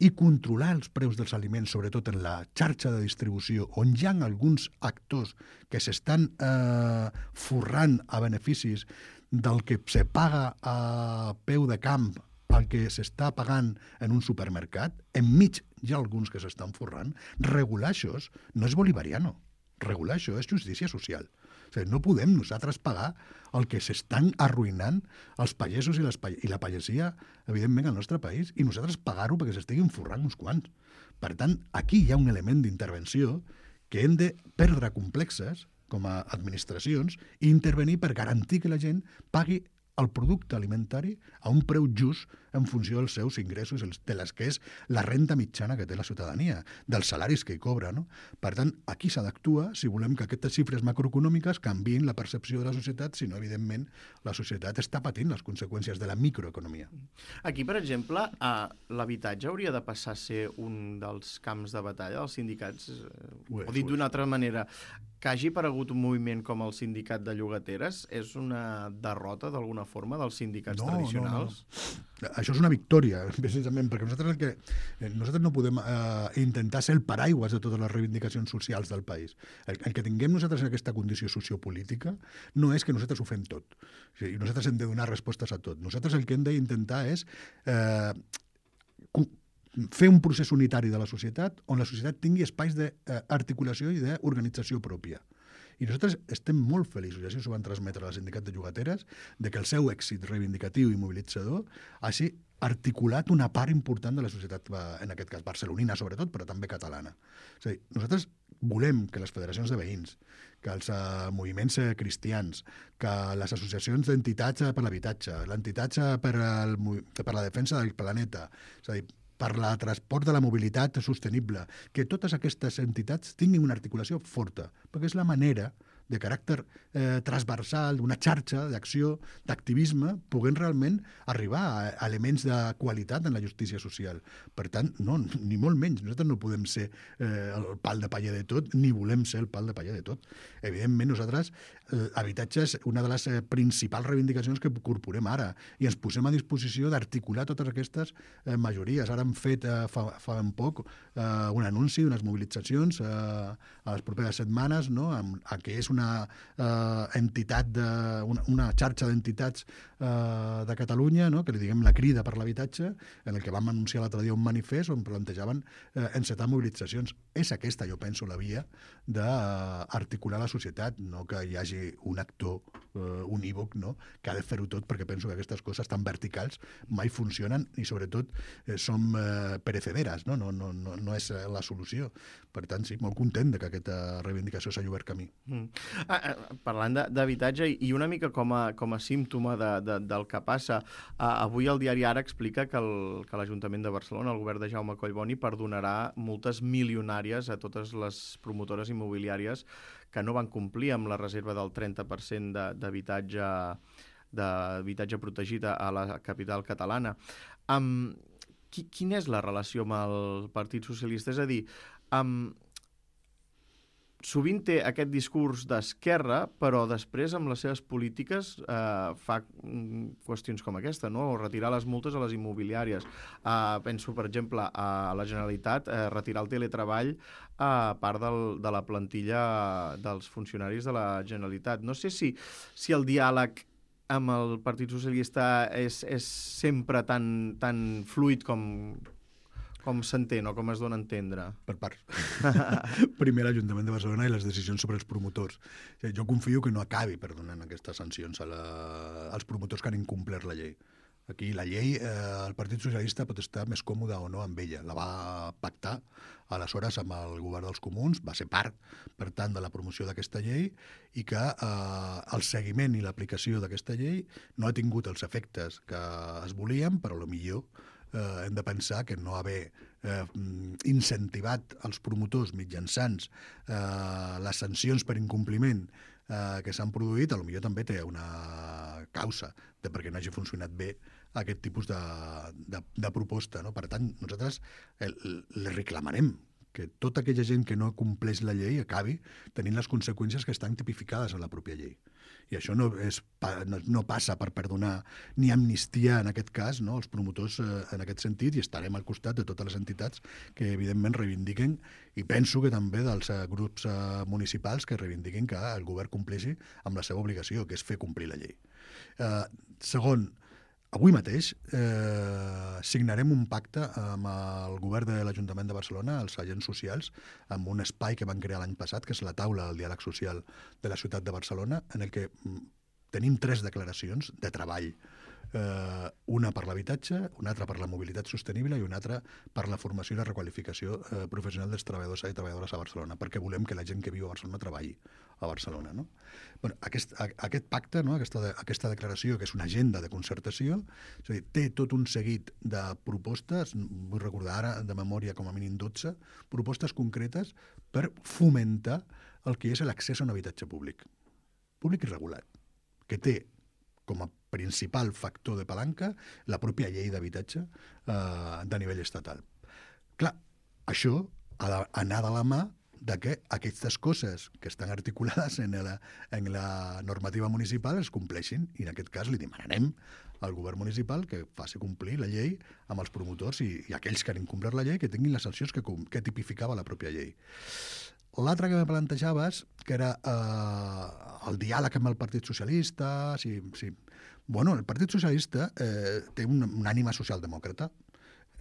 i controlar els preus dels aliments, sobretot en la xarxa de distribució, on hi ha alguns actors que s'estan eh, forrant a beneficis del que se paga a peu de camp el que s'està pagant en un supermercat. Enmig hi ha alguns que s'estan forrant. Regular això no és bolivariano. Regular això és justícia social. O sigui, no podem nosaltres pagar el que s'estan arruïnant els pagesos i, les, i la pagesia, evidentment, al nostre país, i nosaltres pagar-ho perquè s'estiguin forrant uns quants. Per tant, aquí hi ha un element d'intervenció que hem de perdre complexes com a administracions i intervenir per garantir que la gent pagui el producte alimentari a un preu just en funció dels seus ingressos, de les que és la renda mitjana que té la ciutadania, dels salaris que hi cobra, no? Per tant, aquí s'ha d'actuar si volem que aquestes xifres macroeconòmiques canviïn la percepció de la societat, si no, evidentment, la societat està patint les conseqüències de la microeconomia. Aquí, per exemple, eh, l'habitatge hauria de passar a ser un dels camps de batalla dels sindicats, o dit d'una altra manera, que hagi aparegut un moviment com el sindicat de llogateres és una derrota d'alguna forma dels sindicats no, tradicionals? No, no. Això és una victòria, precisament, perquè nosaltres, el que, nosaltres no podem eh, intentar ser el paraigües de totes les reivindicacions socials del país. El, el que tinguem nosaltres en aquesta condició sociopolítica no és que nosaltres ho fem tot. O sigui, nosaltres hem de donar respostes a tot. Nosaltres el que hem d'intentar és eh, fer un procés unitari de la societat on la societat tingui espais d'articulació i d'organització pròpia. I nosaltres estem molt feliços, i així s'ho van transmetre al sindicat de llogateres, de que el seu èxit reivindicatiu i mobilitzador hagi articulat una part important de la societat, en aquest cas barcelonina sobretot, però també catalana. És a dir, nosaltres volem que les federacions de veïns, que els uh, moviments uh, cristians, que les associacions d'entitats per l'habitatge, l'entitats per, el, per la defensa del planeta, és a dir, per la transport de la mobilitat sostenible, que totes aquestes entitats tinguin una articulació forta, perquè és la manera de caràcter eh, transversal, d'una xarxa d'acció, d'activisme, puguem realment arribar a, a elements de qualitat en la justícia social. Per tant, no, ni molt menys. Nosaltres no podem ser eh, el pal de paller de tot, ni volem ser el pal de paller de tot. Evidentment, nosaltres, l'habitatge és una de les eh, principals reivindicacions que incorporem ara i ens posem a disposició d'articular totes aquestes eh, majories. Ara hem fet eh, fa, fa ben poc eh, un anunci, unes mobilitzacions eh, a les properes setmanes, no? amb, a que és una eh, entitat, de, una, una xarxa d'entitats eh, de Catalunya, no? que li diguem la Crida per l'Habitatge, en el que vam anunciar l'altre dia un manifest on plantejaven eh, encetar mobilitzacions. És aquesta, jo penso, la via d'articular la societat, no que hi hagi un actor uh, unívoc, no? que ha de fer-ho tot, perquè penso que aquestes coses tan verticals mai funcionen i sobretot eh, som eh, perecederes, no? No, no, no, no és la solució. Per tant, sí, molt content de que aquesta reivindicació s'hagi obert camí. Mm. Ah, ah, parlant d'habitatge i una mica com a, com a símptoma de, de, del que passa, ah, avui el diari Ara explica que el, que l'Ajuntament de Barcelona, el govern de Jaume Collboni, perdonarà multes milionàries a totes les promotores immobiliàries que no van complir amb la reserva del trenta per cent d'habitatge d'habitatge protegit a la capital catalana. Um, qui, quina és la relació amb el Partit Socialista? És a dir, um, sovint té aquest discurs d'esquerra, però després amb les seves polítiques eh, fa qüestions com aquesta, no? O retirar les multes a les immobiliàries. Eh, penso, per exemple, a la Generalitat, eh, retirar el teletreball a part del, de la plantilla dels funcionaris de la Generalitat. No sé si, si el diàleg amb el Partit Socialista és, és sempre tan, tan fluid com... com s'entén o com es dona a entendre? Per parts. Primer l'Ajuntament de Barcelona i les decisions sobre els promotors. Jo confio que no acabi perdonant aquestes sancions a la, als promotors que han incomplert la llei. Aquí la llei, eh, el Partit Socialista pot estar més còmode o no amb ella. La va pactar aleshores amb el govern dels comuns, va ser part, per tant, de la promoció d'aquesta llei i que eh, el seguiment i l'aplicació d'aquesta llei no ha tingut els efectes que es volien, però potser eh, hem de pensar que no haver eh, incentivat els promotors mitjançant eh, les sancions per incompliment eh, que s'han produït, potser també té una causa de perquè no hagi funcionat bé aquest tipus de, de, de proposta. No? Per tant, nosaltres li reclamarem que tota aquella gent que no compleix la llei acabi tenint les conseqüències que estan tipificades en la pròpia llei. I això no, és, no, no passa per perdonar ni amnistia, en aquest cas, no, els promotors eh, en aquest sentit, i estarem al costat de totes les entitats que, evidentment, reivindiquen, i penso que també dels eh, grups eh, municipals que reivindiquen que el govern compleixi amb la seva obligació, que és fer complir la llei. Eh, segon, avui mateix eh, signarem un pacte amb el govern de l'Ajuntament de Barcelona, els agents socials, amb un espai que van crear l'any passat, que és la taula del diàleg social de la ciutat de Barcelona, en el que tenim tres declaracions de treball. Eh, una per l'habitatge, una altra per la mobilitat sostenible i una altra per la formació i la requalificació eh, professional dels treballadors i treballadores a Barcelona, perquè volem que la gent que viu a Barcelona treballi a Barcelona. No? Bueno, aquest, a, aquest pacte, no? aquesta, de, aquesta declaració, que és una agenda de concertació, és a dir, té tot un seguit de propostes, vull recordar ara de memòria com a mínim dotze, propostes concretes per fomentar el que és l'accés a un habitatge públic, públic i regulat, que té com a principal factor de palanca la pròpia llei d'habitatge eh, de nivell estatal. Clar, això ha d'anar de la mà de que aquestes coses que estan articulades en la, en la normativa municipal es compleixin, i en aquest cas li demanarem al govern municipal que faci complir la llei amb els promotors i, i aquells que han incomplert la llei que tinguin les sancions que, que tipificava la pròpia llei. L'altre que me plantejaves, que era eh, el diàleg amb el Partit Socialista, si, si... Bueno, el Partit Socialista eh, té un, un ànima socialdemòcrata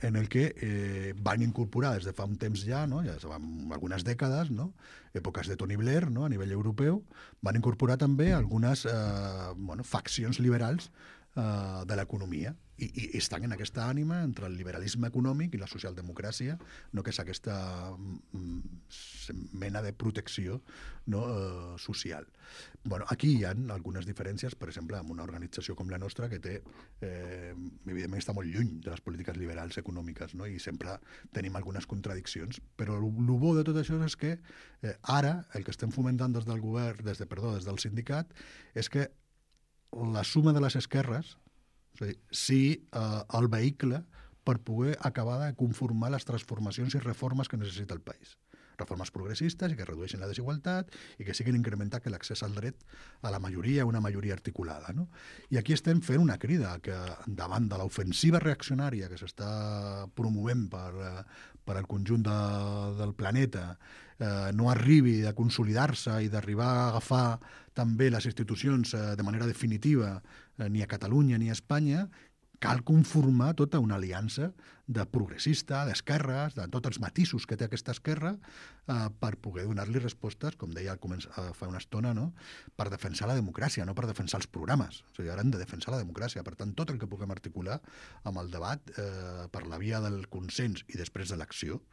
en el que eh, van incorporar des de fa un temps ja, no? Ja fa algunes dècades, no? Èpoques de Tony Blair, no? A nivell europeu, van incorporar també algunes eh, bueno, faccions liberals uh, de l'economia. I, I estan en aquesta ànima entre el liberalisme econòmic i la socialdemocràcia, no, que és aquesta mm, mena de protecció, no, uh, social. Bueno, aquí hi ha algunes diferències, per exemple, amb una organització com la nostra, que té, eh, evidentment està molt lluny de les polítiques liberals econòmiques, no? I sempre tenim algunes contradiccions, però el, el bo de tot això és que eh, ara el que estem fomentant des del govern, des de, perdó, des del sindicat, és que la suma de les esquerres, és a dir, sí, eh, el vehicle per poder acabar de conformar les transformacions i reformes que necessita el país. Reformes progressistes i que redueixin la desigualtat i que siguin incrementar que l'accés al dret a la majoria, una majoria articulada. No? I aquí estem fent una crida que davant de l'ofensiva reaccionària que s'està promovent per, per al conjunt de, del planeta eh, no arribi a consolidar-se i d'arribar a agafar també les institucions eh, de manera definitiva eh, ni a Catalunya ni a Espanya, cal conformar tota una aliança de progressista, d'esquerres, de tots els matisos que té aquesta esquerra eh, per poder donar-li respostes, com deia eh, fa una estona, no? Per defensar la democràcia, no per defensar els programes. O sigui, ara hem de defensar la democràcia. Per tant, tot el que puguem articular amb el debat eh, per la via del consens i després de l'acció,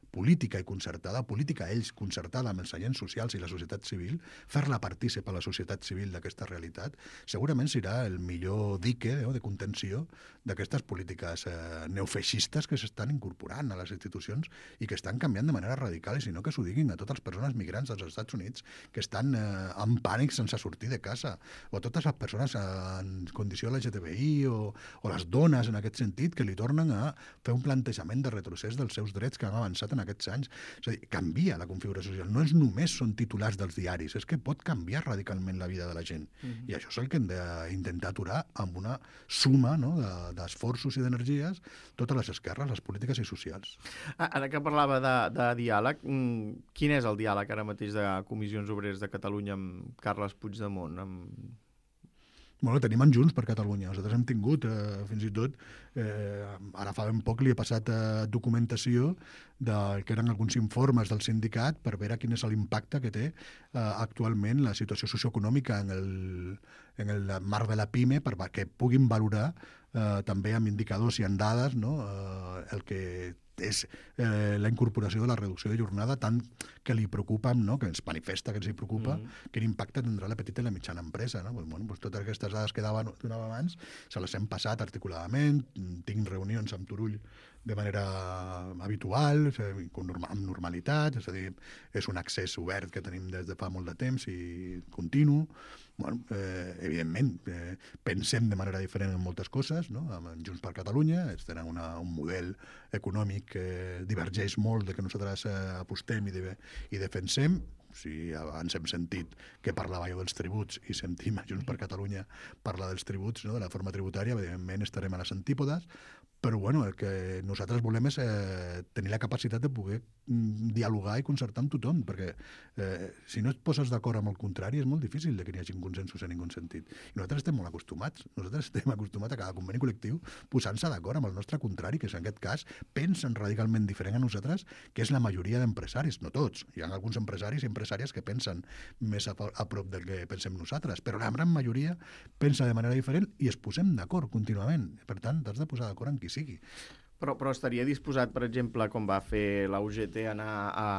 política i concertada, política ells concertada amb els agents socials i la societat civil, fer-la partícip a la societat civil d'aquesta realitat, segurament serà el millor dique eh, de contenció d'aquestes polítiques eh, neofeixistes que s'estan incorporant a les institucions i que estan canviant de manera radical, i si no que s'ho diguin a totes les persones migrants dels Estats Units que estan eh, en pànic sense sortir de casa, o a totes les persones en condició L G T B I o, o les dones en aquest sentit que li tornen a fer un plantejament de retrocés dels seus drets que han avançat en aquests anys. És a dir, canvia la configuració social. No és només són titulars dels diaris, és que pot canviar radicalment la vida de la gent. Mm-hmm. I això és el que hem d'intentar aturar amb una suma, no, d'esforços de, i d'energies, totes les esquerres, les polítiques i socials. Ara que parlava de, de diàleg, quin és el diàleg ara mateix de Comissions Obreres de Catalunya amb Carles Puigdemont? Amb... Bueno, tenim en Junts per Catalunya. Nosaltres hem tingut, eh, fins i tot, eh, ara fa ben poc li he passat eh, documentació de, que eren alguns informes del sindicat per veure quin és l'impacte que té eh, actualment la situació socioeconòmica en el, en el marc de la PIME per que puguin valorar eh, també amb indicadors i en dades, no, eh, el que és eh, la incorporació de la reducció de jornada tant que li preocupa, no? Que ens manifesta que ens hi preocupa, mm. quin impacte tindrà la petita i la mitjana empresa. No? Pues, bueno, pues totes aquestes dades que donava abans se les hem passat articuladament, tinc reunions amb Turull de manera habitual, amb normalitat, és a dir, és un accés obert que tenim des de fa molt de temps i continu. Bueno, eh, evidentment, eh, pensem de manera diferent en moltes coses, no? Amb Junts per Catalunya, ells tenen una, un model econòmic que divergeix molt de que nosaltres eh, apostem i, de, i defensem. Si abans hem sentit que parlava jo dels tributs i sentim a Junts per Catalunya parlar dels tributs, no? De la forma tributària, evidentment estarem a les antípodes, però bueno, el que nosaltres volem és eh, tenir la capacitat de poder mm, dialogar i concertar amb tothom, perquè eh, si no et poses d'acord amb el contrari és molt difícil de que n'hi hagi consensos en ningú sentit. I nosaltres estem molt acostumats, nosaltres estem acostumats a cada conveni col·lectiu posant-se d'acord amb el nostre contrari, que és en aquest cas pensen radicalment diferent a nosaltres, que és la majoria d'empresaris, no tots. Hi ha alguns empresaris i empresàries que pensen més a, a prop del que pensem nosaltres, però la gran majoria pensa de manera diferent i es posem d'acord contínuament. Per tant, t'has de posar d'acord amb qui sigui. Però, però estaria disposat, per exemple, com va fer la U G T, a anar a,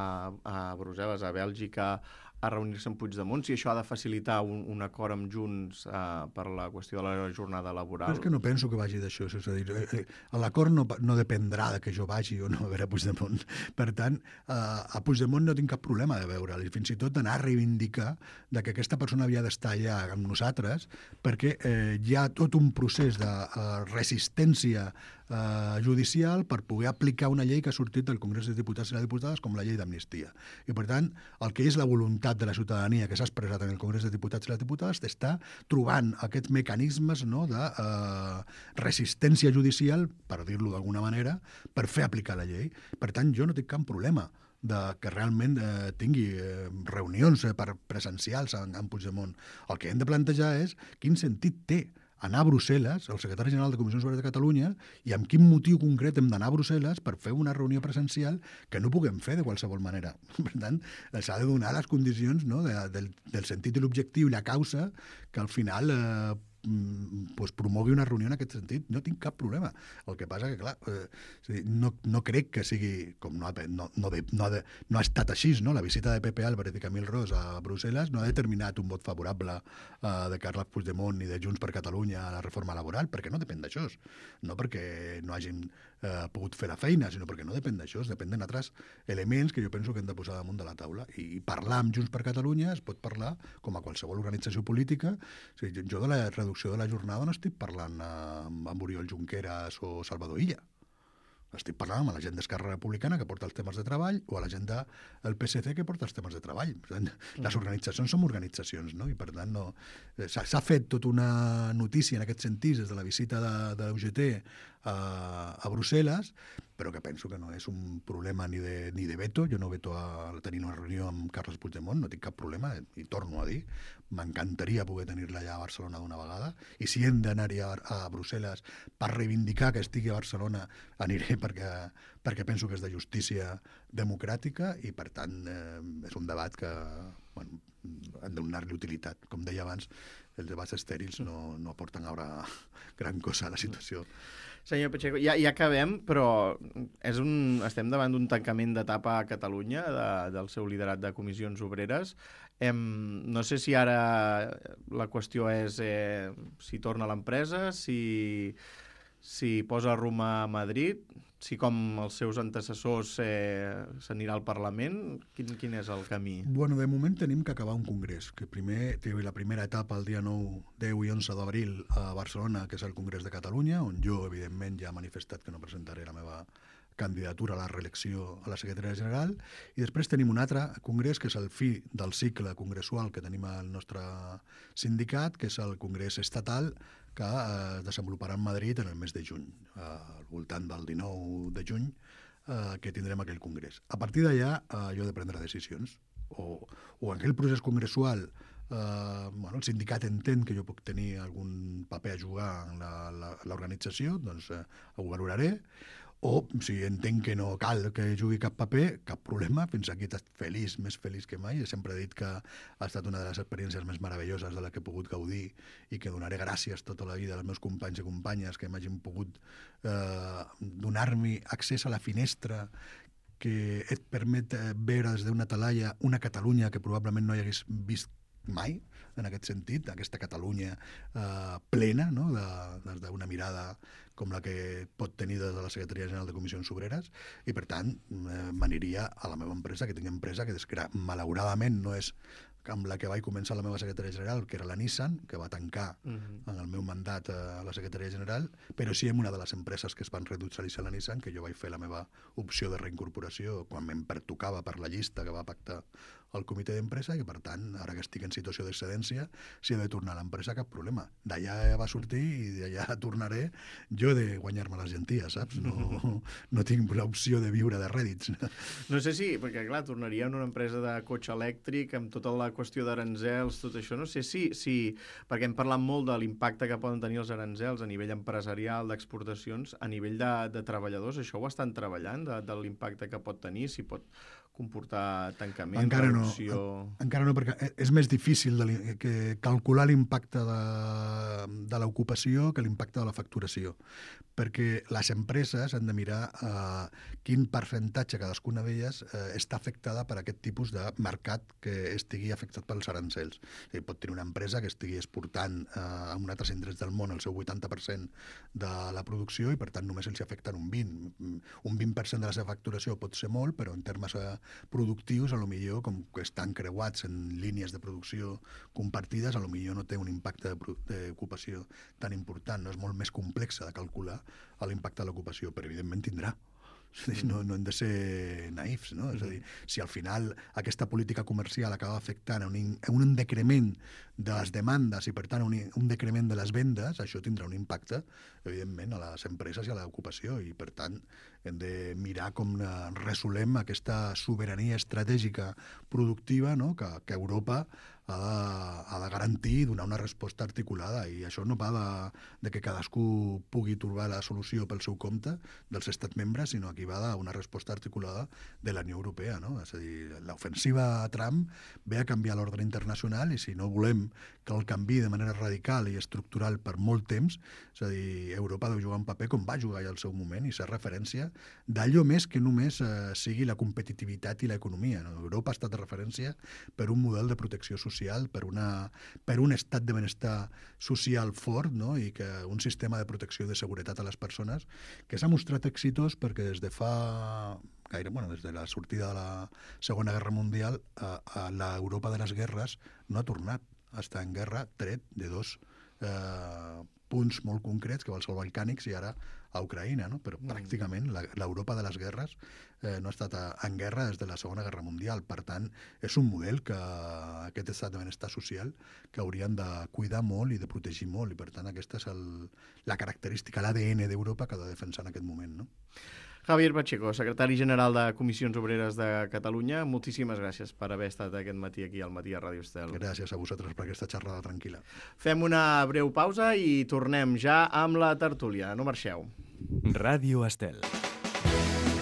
a Brussel·les, a Bèlgica, a reunir-se amb Puigdemont, si això ha de facilitar un, un acord amb Junts eh, per la qüestió de la jornada laboral? Però és que no penso que vagi d'això. És a dir, eh, l'acord no, no dependrà de que jo vagi o no a veure Puigdemont. Per tant, eh, a Puigdemont no tinc cap problema de veure'l, i fins i tot d'anar a reivindicar de que aquesta persona havia d'estar allà amb nosaltres, perquè eh, hi ha tot un procés de eh, resistència eh, judicial per poder aplicar una llei que ha sortit del Congrés dels Diputats i les Diputades com la llei d'amnistia. I per tant, el que és la voluntat de la ciutadania que s'ha expressat en el Congrés dels Diputats i les Diputades està trobant aquests mecanismes, no, de eh, resistència judicial, per dir-lo d'alguna manera, per fer aplicar la llei. Per tant, jo no tinc cap problema de que realment eh, tingui eh, reunions eh, per presencials amb, amb Puigdemont. El que hem de plantejar és quin sentit té anar a Brussel·les, el secretari general de Comissions Obreres de Catalunya, i amb quin motiu concret hem d'anar a Brussel·les per fer una reunió presencial que no puguem fer de qualsevol manera. Per tant, s'ha de donar les condicions, no, de, del, del sentit i l'objectiu i la causa que al final eh, pues, promogui una reunió en aquest sentit. No tinc cap problema. El que passa que, clar, eh, no, no crec que sigui, com no ha, no, no, no, ha, de, no ha estat així, no? La visita de Pepe Álvarez i Camil Ros a Brussel·les no ha determinat un vot favorable eh, de Carles Puigdemont i de Junts per Catalunya a la reforma laboral, perquè no depèn d'això. No perquè no hagin eh, pogut fer la feina, sinó perquè no depèn d'això, depèn d'altres elements que jo penso que hem de posar damunt de la taula. I parlar amb Junts per Catalunya es pot parlar com a qualsevol organització política. O sigui, jo de la reducció de la jornada no estic parlant amb, amb Oriol Junqueras o Salvador Illa. Estic parlant amb la gent d'Esquerra Republicana que porta els temes de treball o a la gent del P S C que porta els temes de treball. Les organitzacions són organitzacions, no? I per tant no... s'ha fet tota una notícia en aquest sentit des de la visita de, de l'U G T a, a Brussel·les, però que penso que no és un problema ni de, ni de veto. Jo no veto a tenir una reunió amb Carles Puigdemont, no tinc cap problema, i torno a dir, m'encantaria poder tenir-la allà a Barcelona d'una vegada, i si hem d'anar-hi a, a Brussel·les per reivindicar que estigui a Barcelona, aniré perquè, perquè penso que és de justícia democràtica, i per tant eh, és un debat que bueno, han de donar-li utilitat. Com deia abans, els debats estèrils no, no aporten ara gran cosa a la situació. Senyor Pacheco, ja, ja acabem, però és un, estem davant d'un tancament d'etapa a Catalunya de, del seu liderat de comissions obreres. Em, no sé si ara la qüestió és eh, si torna a l'empresa, si, si posa rumb a Madrid, si com els seus antecessors eh, s'anirà al Parlament. Quin, quin és el camí? Bueno, de moment tenim que acabar un congrés, que primer té la primera etapa el dia nou, deu i onze d'abril a Barcelona, que és el Congrés de Catalunya, on jo, evidentment, ja he manifestat que no presentaré la meva candidatura a la reelecció a la secretaria general, i després tenim un altre congrés, que és el fi del cicle congressual que tenim al nostre sindicat, que és el congrés estatal, que es desenvoluparà en Madrid en el mes de juny, al voltant del dinou de juny, eh, que tindrem aquell congrés. A partir d'allà, eh, jo he de prendre decisions. O, o en aquell procés congressual, eh, bueno, el sindicat entén que jo puc tenir algun paper a jugar en l'organització, doncs eh, ho valoraré. O si entenc que no cal que jugui cap paper, cap problema, fins aquí he estat feliç, més feliç que mai. He sempre dit que ha estat una de les experiències més meravelloses de la que he pogut gaudir i que donaré gràcies tota la vida als meus companys i companyes que m'hagin pogut eh, donar-me accés a la finestra que et permet veure des d'una talaia una Catalunya que probablement no hi hagués vist mai, en aquest sentit, aquesta Catalunya eh, plena, no? Des d'una mirada com la que pot tenir des de la Secretaria General de Comissions Obreres, i per tant eh, m'aniria a la meva empresa, que tinc empresa que malauradament no és amb la que vaig començar la meva secretaria general, que era la Nissan, que va tancar uh-huh. en el meu mandat a la secretaria general, però sí en una de les empreses que es van reindustrialitzar la Nissan, que jo vaig fer la meva opció de reincorporació quan me'n pertocava per la llista que va pactar el comitè d'empresa, i per tant, ara que estic en situació d'excedència, si he de tornar a l'empresa, cap problema. D'allà va sortir i d'allà tornaré. Jo he de guanyar-me les llenties, saps? No, no tinc l'opció de viure de rèdits. No sé si, perquè clar, tornaria en una empresa de cotxe elèctric, amb tota la qüestió d'aranzels, tot això, no sé si, si perquè hem parlat molt de l'impacte que poden tenir els aranzels a nivell empresarial, d'exportacions, a nivell de, de treballadors, això ho estan treballant, de, de l'impacte que pot tenir, si pot comportar tancament, encara reducció... No, encara no, perquè és més difícil de que calcular l'impacte de, de l'ocupació que l'impacte de la facturació, perquè les empreses han de mirar eh, quin percentatge cadascuna d'elles eh, està afectada per aquest tipus de mercat que estigui afectat pels arancels. O sigui, pot tenir una empresa que estigui exportant eh, a un altre indrets del món el seu vuitanta per cent de la producció i per tant només els afecten un vint. Un vint per cent de la seva facturació pot ser molt, però en termes eh, productius, a lo millor, com que estan creuats en línies de producció compartides, a lo millor no té un impacte d'ocupació tan important, no és molt més complexa de calcular l'impacte de l'ocupació, però evidentment tindrà. No, no hem de ser naïfs, no? És a dir, si al final aquesta política comercial acaba afectant un, un decrement de les demandes i, per tant, un, un decrement de les vendes, això tindrà un impacte, evidentment, a les empreses i a l'ocupació, i, per tant, hem de mirar com resolem aquesta sobirania estratègica productiva, no? que, que Europa ha de, ha de garantir i donar una resposta articulada, i això no va de, de que cadascú pugui trobar la solució pel seu compte dels estats membres, sinó que va d'una resposta articulada de la Unió Europea, no? És a dir, l'ofensiva a Trump ve a canviar l'ordre internacional, i si no volem que el canvi de manera radical i estructural per molt temps, és a dir, Europa deu jugar un paper com va jugar ja al seu moment i ser referència d'allò més que només eh, sigui la competitivitat i l'economia, no? Europa ha estat de referència per un model de protecció social, per, una, per un estat de benestar social fort, no? I que un sistema de protecció i de seguretat a les persones que s'ha mostrat exitós perquè des de fa gaire, bueno, des de la sortida de la Segona Guerra Mundial a, a l'Europa de les guerres no ha tornat a estar en guerra, tret de dos eh, punts molt concrets, que van ser els balcànics i ara a Ucraïna, no? Però mm. pràcticament l'Europa de les guerres eh, no ha estat a, en guerra des de la Segona Guerra Mundial. Per tant, és un model que aquest estat de benestar social que haurien de cuidar molt i de protegir molt, i per tant aquesta és el, la característica, l'A D N d'Europa que ha de defensar en aquest moment, no? Javier Pacheco, secretari general de Comissions Obreres de Catalunya, moltíssimes gràcies per haver estat aquest matí aquí al Matí a Ràdio Estel. Gràcies a vosaltres per aquesta xerrada tranquil·la. Fem una breu pausa i tornem ja amb la tertúlia. No marxeu. Ràdio Estel.